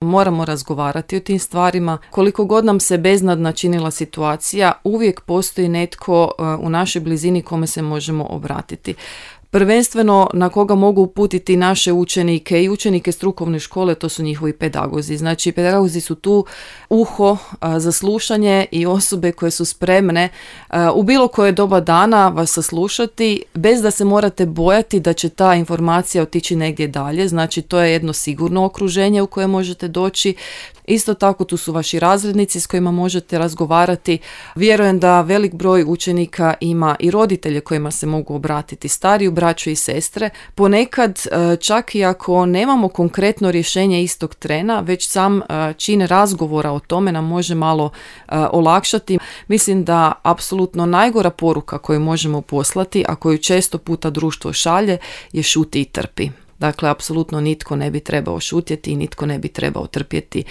Moramo razgovarati o tim stvarima. Koliko god nam se beznadna činila situacija, uvijek postoji netko u našoj blizini kome se možemo obratiti. Prvenstveno na koga mogu uputiti naše učenike i učenike strukovne škole, to su njihovi pedagozi. Znači, pedagozi su tu uho za slušanje i osobe koje su spremne u bilo koje doba dana vas saslušati bez da se morate bojati da će ta informacija otići negdje dalje. Znači, to je jedno sigurno okruženje u koje možete doći. Isto tako tu su vaši razrednici s kojima možete razgovarati. Vjerujem da velik broj učenika ima i roditelje kojima se mogu obratiti, stariju braću i sestre. Ponekad čak i ako nemamo konkretno rješenje istog trena, već sam čin razgovora o tome nam može malo olakšati. Mislim da apsolutno najgora poruka koju možemo poslati, a koju često puta društvo šalje, je šuti i trpi. Dakle, apsolutno nitko ne bi trebao šutjeti i nitko ne bi trebao trpjeti